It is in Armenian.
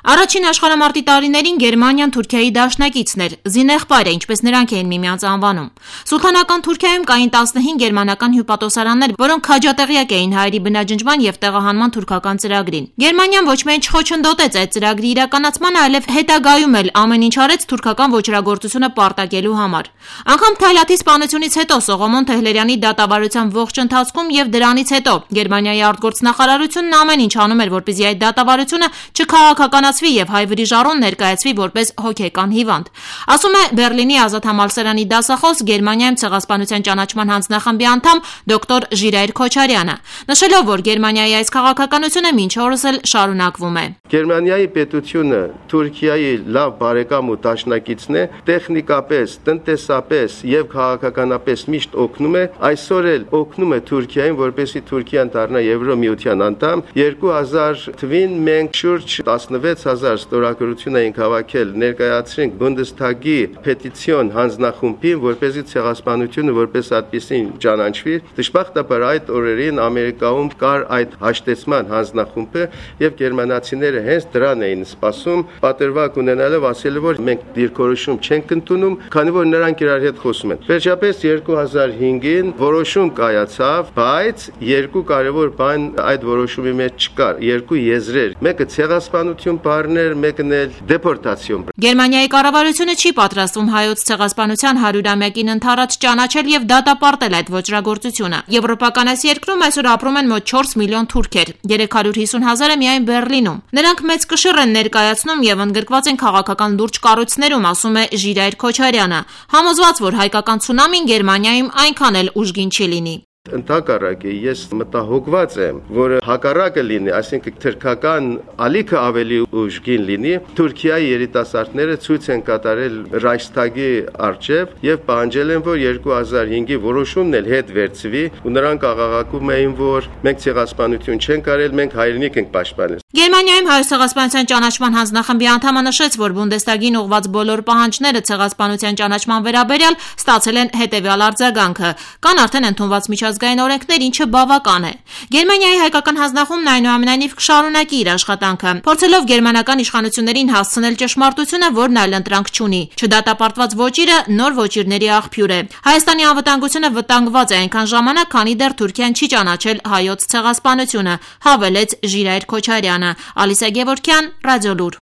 Առաջին աշխարհամարտի տարիներին Գերմանիան Թուրքիայի դաշնակիցն էր, զինեղբայրը, ինչպես նրանք էին միմյանց անվանում։ Սուլթանական Թուրքիայում կային 15 գերմանական հյուպատոսարաններ, որոնք քաջատեղյակ էին հայերի բնաջնջման եւ տեղահանման թուրքական ծրագրին։ Գերմանիան ոչ միայն չխոչընդոտեց այդ ծրագրի իրականացմանը, այլև հետագայում էլ ամեն ինչ արեց թուրքական ոչրագործությունը պարտակելու համար։ Անգամ Թայլաթի սպանությունից հետո Սողոմոն Թեհլերյանի դատավարության ողջ ընթացքում եւ դրանից հետո Գերմանիայի արտգործնախարարությունն ամեն ինչ անում էր, որպեսզի այդ դատավարությունը չքաղաքականացվի եւ հայ վրիժառուն ներկայացվի որպես հոգեկան հիվանդ։ Ասում է Բերլինի ազատ համալսարանի դասախոս Գերմանիայում ցեղասպանության ճանաչման հանձնախմբի անդամ դոկտոր Ժիրայր Քոչարյանը, նշելով, որ Գերմանիայի այս քաղաքականությունը մինչ օրս էլ շարունակվում է։ Գերմանիայի պետությունը Թուրքիայի լավ բարեկամ ու դաշնակիցն է, տեխնիկապես, տնտեսապես եւ քաղաքականապես միշտ օգնում է, այսօր էլ օգնում է Թուրքիային, որպեսզի Թուրքիան դառնա Եվրոմիության անդամ։ 2000 թվականին մենք շուրջ 16000 ստորագրություն էինք հավաքել, ներկայացրինք Բունդեսթագի պետիցիոն հանձնախումբին, որպեսզի ցեղասպանությունը որպես այդպեսին ճանաչվի։ Դժբախտաբար այդ օրերին Ամերիկայում կար այդ հաշտեցման հանձնախումբը եւ գերմանացիները հենց դրան էին սպասում, պատրվակ ունենալով ասելով, որ մենք դիրքորոշում չենք ընդունում, քանի որ նրանք իրար հետ խոսում են։ Վերջապես 2005-ին որոշում կայացավ, բայց երկու կարևոր բան այդ որոշումի մեջ չկար, երկու եզրեր։ Մեկը ցեղասպանություն բառն էր, մեկն էլ դեպորտացիոն։ Գերմանիայի կառավարությունը չի պատրաստվում հայոց ցեղասպանության 100-ամյակին ընդառաջ ճանաչել եւ դատապարտել այդ ոճրագործությունը։ Եվրոպական այս երկրում այսօր ապրում են մոտ 4 միլիոն թուրքեր, 350,000-ը միայն Բերլինում։ Նրանք մեծ կշիռ են ներկայացնում եւ ընդգրկված են քաղաքական լուրջ կառույցներում, ասում է Ժիրայր Քոչարյանը, համոզված, որ հայկական ցունամին Գերմանիայում այնքան էլ ուժգին չի լինի։ Ընդհակառակը ես մտահոգված եմ, որ հակառակը լինի, այսինքն թուրքական ալիքը ավելի ուժգին լինի։ Թուրքիայի երիտասարդները ցույց են կատարել Ռայխստագի առջև եւ պահանջել են, որ 2005-ի որոշումն էլ հետ վերցվի, ու նրանք աղաղակում էին, որ մենք ցեղասպանություն չենք արել, մենք հայրենիք ենք պաշտպանել։ Գերմանիայում հայոց ցեղասպանության ճանաչման հանձնախմբի անդամը նշեց, որ Բունդեսթագին ուղղված բոլոր պահանջները ցեղասպանության ճանաչման վերաբերյալ ստացել են հետևյալ արձագանքը։ Կան արդեն ընդունված միջազգային օրենքներ, ինչը բավական է։ Գերմանիայի հայկական հանձնախումբն այնուամենայնիվ կշարունակի իր աշխատանքը, փորձելով գերմանական իշխանություններին հասցնել ճշմարտությունը, որն այլընտրանք չունի։ Չդատապարտված ոճիրը նոր ոճիրների աղբյուր է։ Հայաստանի անվտանգությունը վտանգված է այնքան ժամանակ, քանի դեռ Թուրքիան չի ճանաչել հայոց ցեղասպանությունը, հավելեց Ժիրայր Քոչարյանը։ Ալիսա Գևորգյան, Ռադիոլուր։